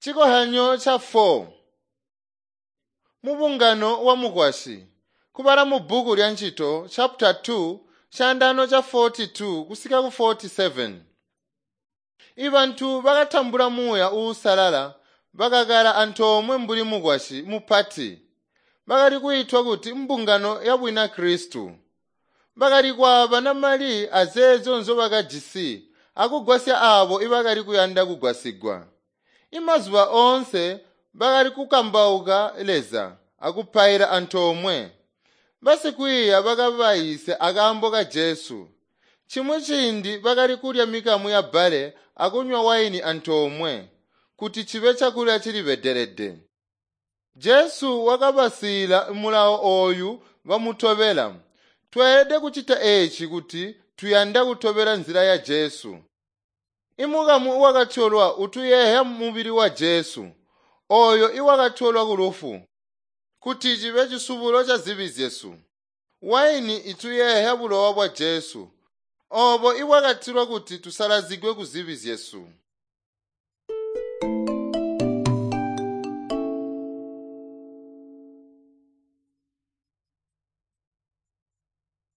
Cikozyanyo ca 4 mubungano wa mukwasyi kubala mubbuku lya Ncito chapter 2 caandaano ca 42 kusika ku 47. Ibantu bakatambula muuya uusalala bakakala antoomwe mbuli mukwasyi mupati. Bakali kwiitwa kuti mbungano ya Bunakristo. Bakali kwaabana mali azeezyo nzyobakajisi akugwasya aabo ibakali kuyanda kugwasigwa. Imazuba oonse bakali kukambauka Leza akupaila antoomwe. Basikwiiya bakabayiisya akaambo ka Jesu. Chimwi ciindi bakali kulya mikamu ya bbale akunywa waini antoomwe kuti cibe cakulya cilibedelede. Jesu wakabasiila mulawo ooyu bamutobela. Tweelede kucita eeci kuti tuyanda kutobela nzila ya Jesu. Imukamu wakatyolwa utuyeeya mubili wa Jesu, ooyo iwakatyolwa kulufu, kuti cibe cisubulo ca zibi zyesu. Waini ituyeeya bulowa bwa Jesu, oobo ibwakatilwa kuti tusalazigwe kuzibi zyesu.